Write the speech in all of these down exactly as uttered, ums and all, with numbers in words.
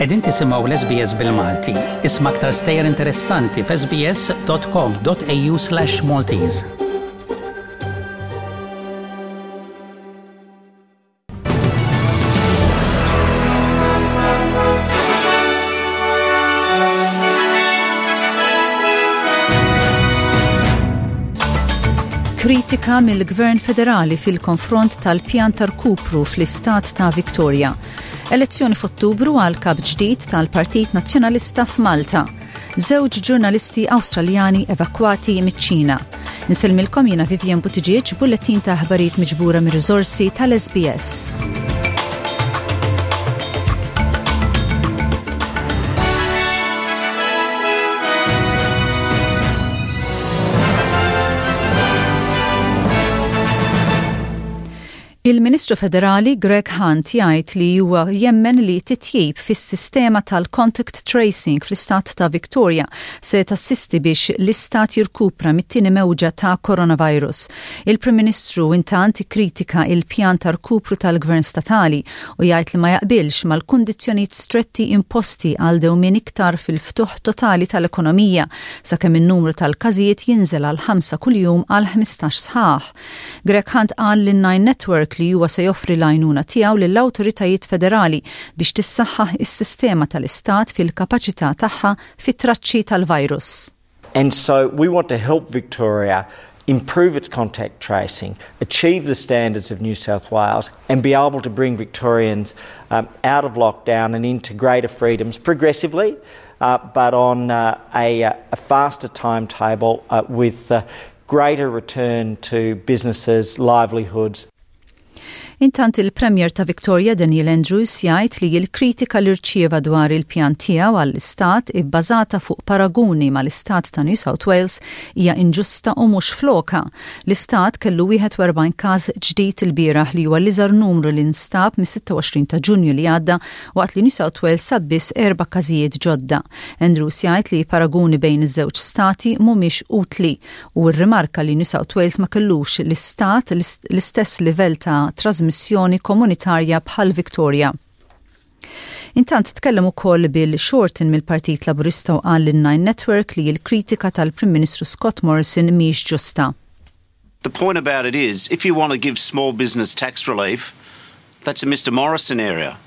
Qegħdin tisimgħu l-S B S bil-Malti. Isma' aktar stejjer interessanti f'S B S dot com dot A U slash Maltese. Kritika mill-Gvern Federali fil-konfront tal-pjan ta' rkupru fl-istat ta' Victoria. Elezzjoni f'Ottubru għal kap ġdid tal-Partit Nazzjonalista f'Malta. Żewġ ġurnalisti Awstraljani evakwati miċ-Ċina. Insellmilkom, jiena Vivian Buttigieg, bullettin ta' aħbarijiet miġbura mir-riżorsi tal-S B S. Il-Ministru Federali Greg Hunt jgħid li huwa jemmen li titjib fis-sistema tal-contact tracing fl-istat ta' Victoria se tassisti biex l-istat jirkupra mit-tieni mewġa ta' coronavirus. Il-Prim Ministru intant kritika il-pjan ta' rkupru tal-Gvern statali u jgħid li ma jaqbilx mal-kundizzjonijiet stretti imposti għal dewmien iktar fil-ftuħ totali tal-ekonomija sakemm in-numru tal-każijiet jinżel għal ħamsa kuljum għal ħmistax sħaħ. Greg Hunt qal lin Nine Network li huwa se joffri l-għajnuna tiegħu lill-awtoritajiet federali biex tissaħħaħ is-sistema tal-istat fil-kapaċità tagħha fit-traċċi tal-virus. And so we want to help Victoria improve its contact tracing, achieve the standards of New South Wales, and be able to bring Victorians um, out of lockdown and into greater freedoms progressively, uh, but on uh, a, a, faster timetable uh, with uh, greater return to businesses, livelihoods. Intant, il-Premier ta' Victoria Daniel Andrews jgħid li l-kritika li rċieva dwar il-pjan tiegħu għall-istat ibbażata fuq paraguni mal-istat ta' New South Wales hija inġusta u mhux f'lokha. L-istat kellu wieħed u erbgħin każ ġdid il-bieraħ, li huwa l-iżgħar numru li nstab mis-sitta u għoxrin ta' Ġunju li għadda, waqt li New South Wales sab biss erba' każijiet ġodda. Andrews jgħid li paraguni bejn iż-żewġ stati mhumiex utli u rrimarka li New South Wales ma kellux l-istat l-istess livell ta' trasmissjoni trasmissjoni komunitarja bħal Victoria. Intant, tkellem ukoll Bill Shorten mill-Partit Laburista u qal lin Nine Network li l-kritika tal-Prim Ministru Scott Morrison mhix ġusta. The point about it is, if you want to give small business tax relief, that's a Mister Morrison area.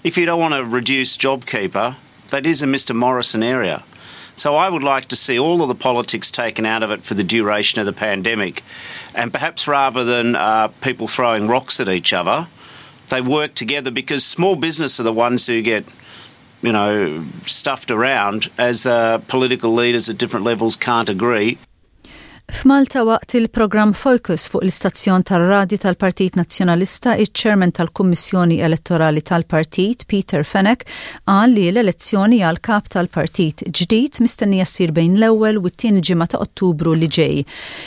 If you don't want to reduce JobKeeper, that is a Mister Morrison area. So I would like to see all of the politics taken out of it for the duration of the pandemic. And perhaps rather than uh, people throwing rocks at each other, they work together, because small business are the ones who get you know, stuffed around as uh, political leaders at different levels can't agree. F'Malta, waqt il-programm Focus fuq l-istazzjon tar-radju tal-Partit Nazzjonalista, iċ-Chairman tal-Kummissjoni Elettorali tal-Partit, Peter Fenech, qal li l-elezzjoni għal kap tal-partit ġdid mistennija ssir bejn l-ewwel u t-tieni ġimgħa ta' Ottubru li ġej.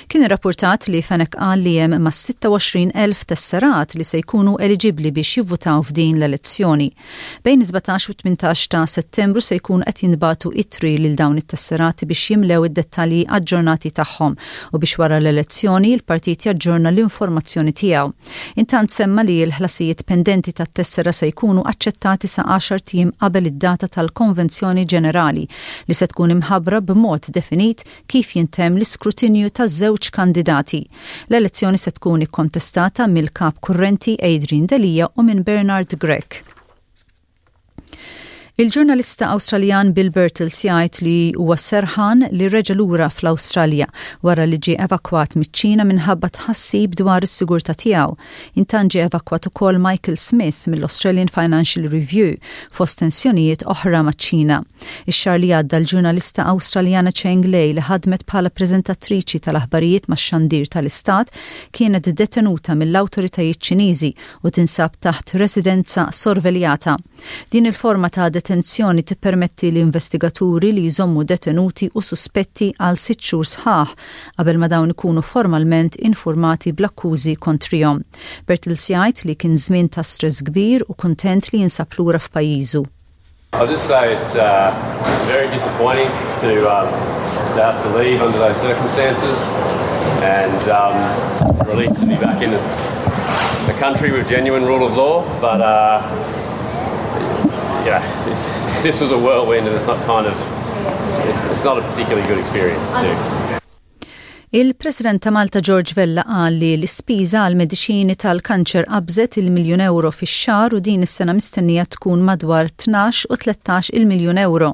Kien irrapportat li Fenech qal li hemm ma' sitta u għoxrin elf tesserat li se jkunu eliġibbli biex jivvutaw f'din l-elezzjoni. Bejn sbatax u tmintax ta' Settembru se jkun qed jinbagħtu ittri lil dawn it-tesserati biex jimlew id-dettalji aġġornati tagħhom u biex wara l-elezzjoni il-partit jaġġorna l-informazzjoni tiegħu. Intant, semma li l-ħlasijiet pendenti tat-tessera se jkunu aċċettati sa għaxart ijiem qabel id-data tal-Konvenzjoni Ġenerali, li se tkun imħabbra b'mod definit kif jintemm l-iskrutinju taż-żewġ kandidati. L-elezzjoni se tkun ikkontestata mill-kap kurrenti Adrian Delia u minn Bernard Grech. Il-ġurnalista Awstraljan Bill Birtles jgħid li huwa serħan li reġa' lura fl-Awstralja wara li ġie evakwat miċ-Ċina minħabba tħassib dwar is-sigurtà tiegħu. Intant, ġie evakwat ukoll Michael Smith mill-Australian Financial Review fost tensjonijiet oħra maċ-Ċina. Ix-xahar li għadda, l-ġurnalista Awstraljana Cheng Lei, li ħadmet bħala preżentatriċi tal-aħbarijiet max-xandir tal-Istat, kienet detenuta mill-awtoritajiet Ċiniżi u tinsab taħt residenza sorveljata. Din il-forma ta' detenzjoni tippermetti l-investigaturi li jżommu detenuti u suspetti għal sitt xhur sħaħ qabel ma dawn ikunu formalment informati bl-akkużi kontrihom. Birtles jgħid li kien żmien ta' stress kbir u kuntent li jinsab lura f'pajjiżu. I'll just say it's uh, very disappointing to, um, to have to leave under those circumstances, and um, it's a relief to be back in a country with genuine rule of law, but uh, you know, it's, this was a whirlwind and it's not kind of, it's, it's not a particularly good experience too. Il-President ta' Malta George Vella qal li l-ispiża għal mediċini tal-kanċer qabżet il-miljun euro fix-xahar u din is-sena mistennija tkun madwar tnax u tlettax il-miljun euro.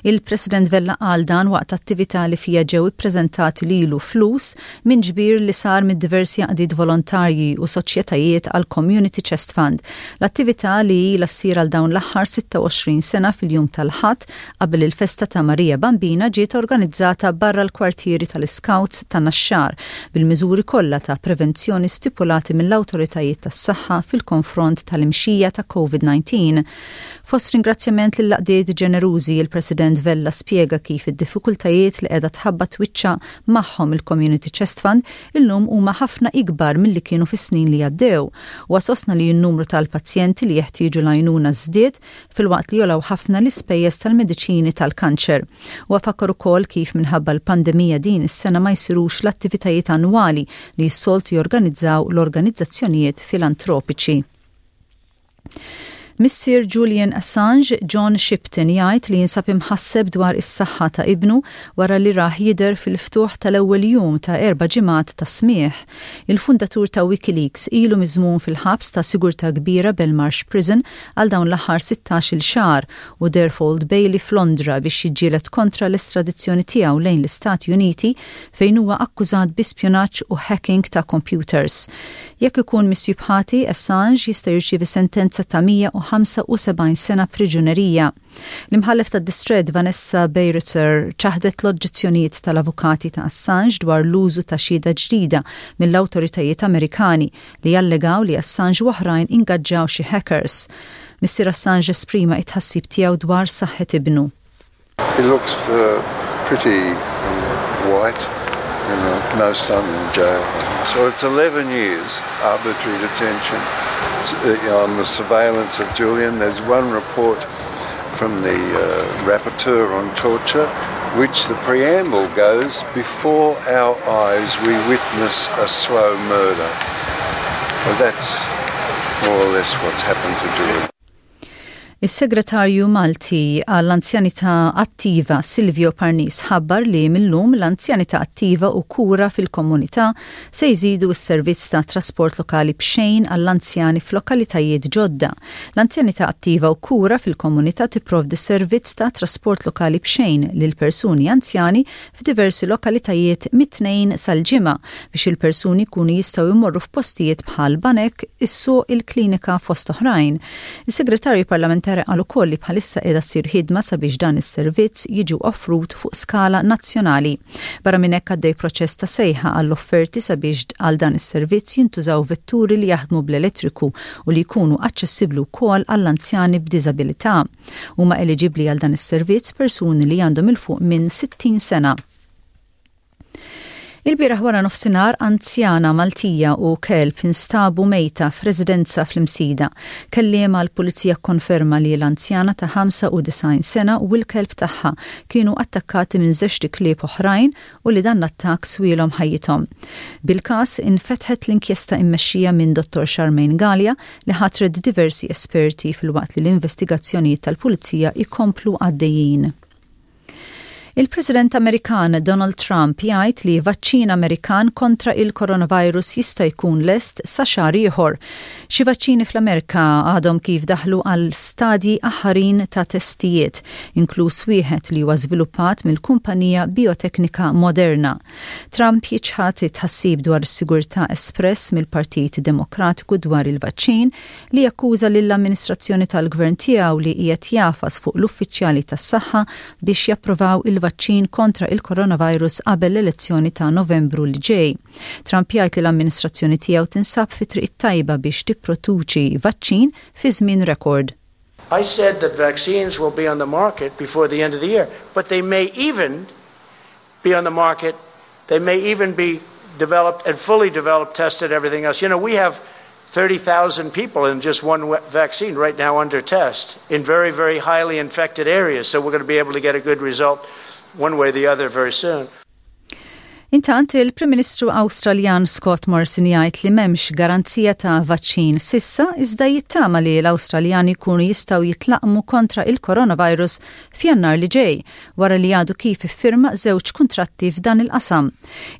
Il-President Vella qal dan waqt attività li fija ġew ippreżentati lilu flus minn ġbir li sar mid diversi għaqdiet volontarji u soċjetajiet għal Community Chest Fund. L-attività li ilha ssir għal dawn l-aħħar sitta u għoxrin sena fil-jum tal-Ħadd qabel il-festa ta' Marija Bambina ġiet organizzata barra l-kwartieri tal-Scouts ta' Naxxar bil-miżuri kollha ta' prevenzjoni stipulati mill-awtoritajiet tas-saħħa fil-konfront tal-imxija ta' COVID disa. Fost ringrazzjament lill-għaqdiet ġenerużi, il-President Vella spjega kif id-diffikultajiet li qiegħda tħabbat wiċċha magħhom il-Community Chest Fund illum huma ħafna ikbar milli kienu fis-snin li għaddew. U sostna li n-numru tal-pazjenti li jeħtieġu l-għajnuna żdied filwaqt li għolew ħafna l-ispejjeż tal-mediċini tal-kanċer. U fakkar ukoll kif minħabba l-pandemija din is-sena ma jsirux l-attivitajiet annwali li s-soltu jorganizzaw l-organizzazzjonijiet filantropiċi. Missier Julian Assange, John Shipton, jgħid li jinsab imħasseb dwar is-saħħa ta' ibnu wara li rah jidher fil-ftuħ tal-ewwel jum ta' erba' ġimgħat ta' smieħ. Il-fundatur ta' WikiLeaks ilu miżmum fil-ħabs ta' sigurtà kbira Belmarsh Prison għal dawn l-aħħar sittax-il xahar u deher f'Old Bailey f'Londra biex jiġġieled kontra l-estradizzjoni tiegħu lejn l-Istati Uniti, fejn huwa akkużat bi spjunaġġ u hacking ta' computers. Jekk ikun misjub ħati, Assange jista' jirċievi sentenza ta' mija u ħamsa u sebgħin sena priġunerija. L-imħallef ta' distrett Vanessa Baraitser ċaħdet l-oġġezzjonijiet tal-avukati ta' Assange dwar l-użu ta' xhieda ġdida mill-awtoritajiet Amerikani li jallegaw li Assange u oħrajn ingaġġaw xi hackers. Missier Assange esprima it-tħassib tiegħu dwar saħħet ibnu. He looks uh, pretty um, white, you know, no sun in jail. So it's eleven years arbitrary detention uh, on the surveillance of Julian. There's one report from the uh, rapporteur on torture, which the preamble goes, "Before our eyes we witness a slow murder." Well, that's more or less what's happened to Julian. Is-Segretarju Malti għall-Anzjanità Attiva Silvio Parnis ħabbar li millum l-Anzjanità Attiva u Kura fil-Komunità se jżidu s-servizz ta' trasport lokali b'xejn għall-anzjani f'lokalitajiet ġodda. L-Anzjanità Attiva u Kura fil-Komunità tipprovdi servizz ta' trasport lokali b'xejn lil persuni anzjani f'diversi lokalitajiet mit-Tnejn sal-Ġimgħa biex il-persuni jkunu jistgħu jmorru f'postijiet bħal banek, is-suq, il-klinika, fost oħrajn. Is-Segretarju Parlamentari qal ukoll li bħalissa qiegħda ssir ħidma sabiex dan is-servizz jiġu offrut fuq skala nazzjonali. Barra minn hekk, għaddej proċess ta' sejħa għall-offerti sabiex għal dan is-servizz jintużaw vetturi li jaħdmu bl-elettriku u li jkunu aċċessibbli wkoll għall-anzjani b'diżabilità. Huma eliġibbli għal dan is-servizz persuni li għandhom 'il fuq minn sittin sena. Il-bieraħ wara nofsinhar, anzjana Maltija u kelb instabu mejta f'residenza fl-Imsida. Kelliem għall-pulizija konferma li l-anzjana ta' ħamsa u disgħin sena u l-kelb tagħha kienu attakkati minn żewġt iklieb oħrajn u li dan l-attakk swielhom ħajjithom. Bil-każ infetħet l-inkjesta immexxija minn Dottor Charmaine Gallia li ħatret diversi esperti, filwaqt li l-investigazzjonijiet tal-pulizija ikomplu għaddejjin. Il-President Amerikan Donald Trump jgħid li vaċċin Amerikan kontra il-coronavirus jista' jkun lest sa xahar ieħor. Xi vaċċini fl-Amerika għadhom kif daħlu għal stadji aħħarin ta' testijiet, inkluż wieħed li huwa żviluppat mill-kumpanija bioteknika Moderna. Trump jiċħad it-tħassib dwar is-sigurtà espress mill-Partit Demokratiku dwar il-vaċċin, li jakkuża lill-amministrazzjoni tal-gvern tiegħu li qiegħed jagħfas fuq l-uffiċjali tas-saħħa biex japprovaw il il-vaċċin kontra il-coronavirus qabel l-elezzjoni ta' Novembru li ġej. Trump jgħid li l-amministrazzjoni tiegħu tinsab fi triq tajba biex tipproduċi vaċċin fi żmien rekord. I said that vaccines will be on the market before the end of the year, but they may even be on the market, they may even be developed and fully developed, tested, everything else. You know, we have thirty thousand people in just one vaccine right now under test in very, very highly infected areas. So we're going to be able to get a good result one way or the other very soon. Intant, il-Prim Ministru Awstraljan Scott Morrison jgħid li m'hemmx garanzija ta' vaċċin s'issa, iżda jittama li l-Awstraljani jkunu jistgħu jitlaqmu kontra il-coronavirus f'Jannar li ġej, wara li għadu kif iffirma żewġ kuntratti f'dan il-qasam.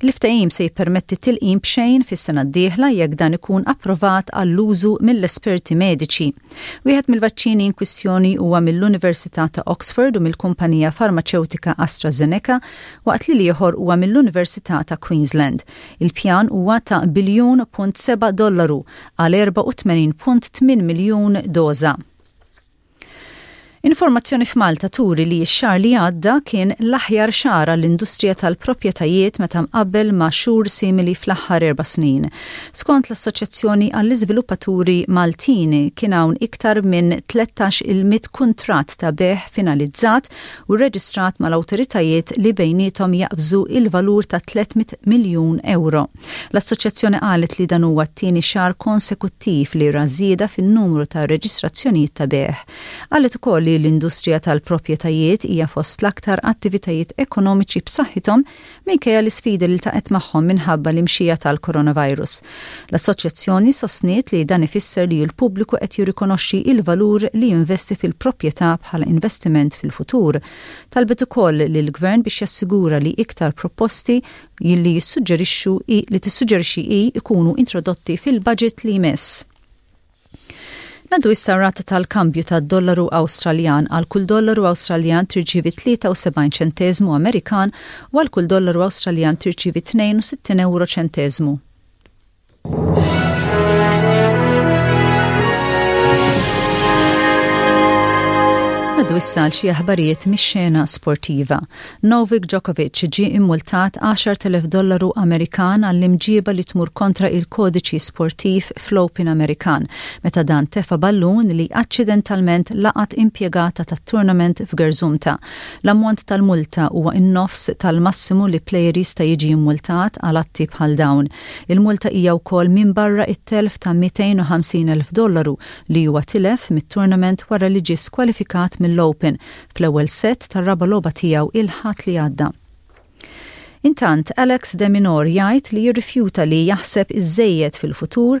Il-ftehim se jippermetti tilqim b'xejn fis-sena d-dieħla jekk dan ikun approvat għall-użu mill-esperti mediċi. Wieħed mill-vaċċini in kwistjoni huwa mill-Università ta' Oxford u mill-kumpanija farmaċewtika AstraZeneca, waqt li l-ieħor huwa mill-Università ta' Queensland. Il-pjan huwa ta' biljun punt seba' dollaru għal erbgħa u tmenin punt tmien miljun doża. Informazzjoni f'Malta turi li x-xahar li għadda kien l-aħjar xahar għall-industrija tal-proprjetajiet meta mqabbel ma' xhur simili fl-aħħar erba' snin. Skont l-Assoċjazzjoni għall-Iżviluppaturi Maltin, kien hawn iktar minn tlettax-il mitt kuntratt ta' bejgħ finalizzat u reġistrat mal-awtoritajiet li bejnietom jaqbżu il-valur ta' tliet mitt miljun euro. L-Assoċjazzjoni qalet li dan huwa t-tieni xahar konsekuttiv li ra żieda fin-numru ta' reġistrazzjonijiet ta' bejgħ. Qalet ukoll li l-industrija tal-proprjetajiet hija fost l-aktar attivitajiet ekonomiċi b'saħħithom minkejja l-isfidi li ltaqgħet magħhom minħabba l-imxija tal-coronavirus. L-assoċjazzjoni sostniet li dan ifisser li l-pubbliku qed jirrikonoxxi il-valur li jinvesti fil-proprjetà bħala investiment fil-futur. Talbet ukoll lill-gvern biex jassigura li iktar proposti li jissuġġerixxu li tissuġġerixxi hi ikunu introdotti fil-budget li jmiss. Ngħaddu issa rata tal-kambju tad-dollaru Awstraljan. Għal kull dollaru Awstraljan tirċivi tlieta u sebgħin ċentesmu Amerikan u għal kull dollaru Awstraljan tirċivi tnejn u sittin euro ċentesmu. Ngħaddu issa għal xi aħbarijiet mix-xena sportiva. Novak Djokovic ġie immultat għaxart elef dollaru Amerikan għall-imġiba li tmur kontra il-kodiċi sportiv fl-Open Amerikan, meta dan tefa ballun li accidentalment laqat impjegata tat-tournament f'gerżumta. L-ammont tal-multa huwa in-nofs tal-massimu li player jista' jiġi immultat għal atti bħal dawn. Il-multa hija wkoll minn barra it-telf ta' mitejn u ħamsin elf dollaru li huwa tilef mit-tournament wara li ġie skwalifikat mill-Open fl-ewwel set tar-raba' logħba tiegħu il-Ħadd li għadda. Intant, Alex de Minaur jgħid li jirrifjuta li jaħseb iżejjed fil-futur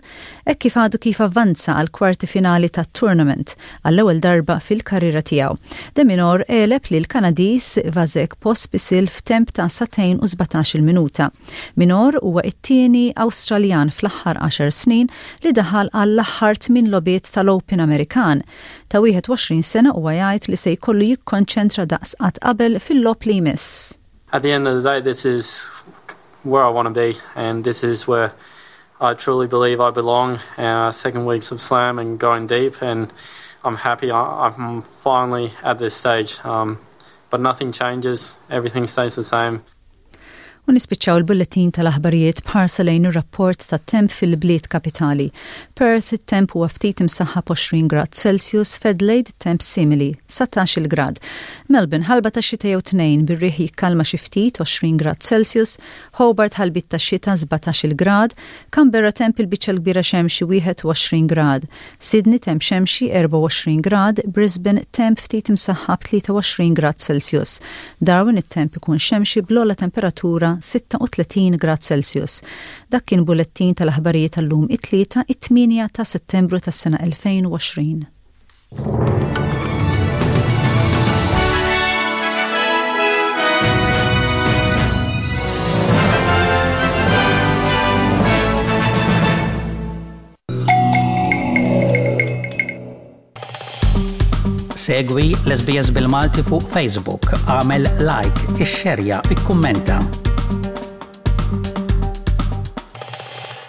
hekk kif għadu kif avvanza għal kwarti finali tat-tournament għall-ewwel darba fil-karriera tiegħu. De Minaur għeleb lil Kanadiż Vasek Pospisil f'temp ta' sagħtejn u sbatax-il minuta. Minaur huwa it-tieni Awstraljan fl-aħħar għaxar snin li daħal għall-aħħar tmien logħbiet tal-Open Amerikan. Ta' wieħed u għoxrin sena, huwa jgħid li se jkollu jikkonċentra daqs qatt qabel fil-logħob li jmiss. At the end of the day, this is where I want to be, and this is where I truly believe I belong. Uh, second weeks of Slam and going deep, and I'm happy I, I'm finally at this stage. Um, but nothing changes, everything stays the same. U nispiċċaw il-bulletin tal-aħbarijiet b'ħarsa lejn ir-rapport tat-temp fil-bliet kapitali. Perth, it-temp huwa ftit imsaħħab, għoxrin grad Celsius, f'Adelaide temp simili, dsatax-il grad. Melbourne, ħalba ta' xita jew tnejn bir-riħ jikkalma xi ftit, għoxrin grad Celsius, Hobart ħalbit ta' xita, sbatax-il grad, Canberra temp il-biċċa l-kbira xemxi, wieħed u għoxrin grad, Sydney temp xemxi, erbgħa u għoxrin grad, Brisbane temp ftit imsaħħab, tlieta u għoxrin grad Celsius. Darwin it-temp ikun xemxi bl-ogħla temperatura sitta u tletin grad Celsius. Dak kien bullettin tal-aħbarijiet tal-lum, it-Tlieta, it-tmienja ta' Settembru tas-sena elfejn u għoxrin. Segwi l-S B S bil-Malti fuq Facebook, agħmel like, ixxerja, ikkummenta.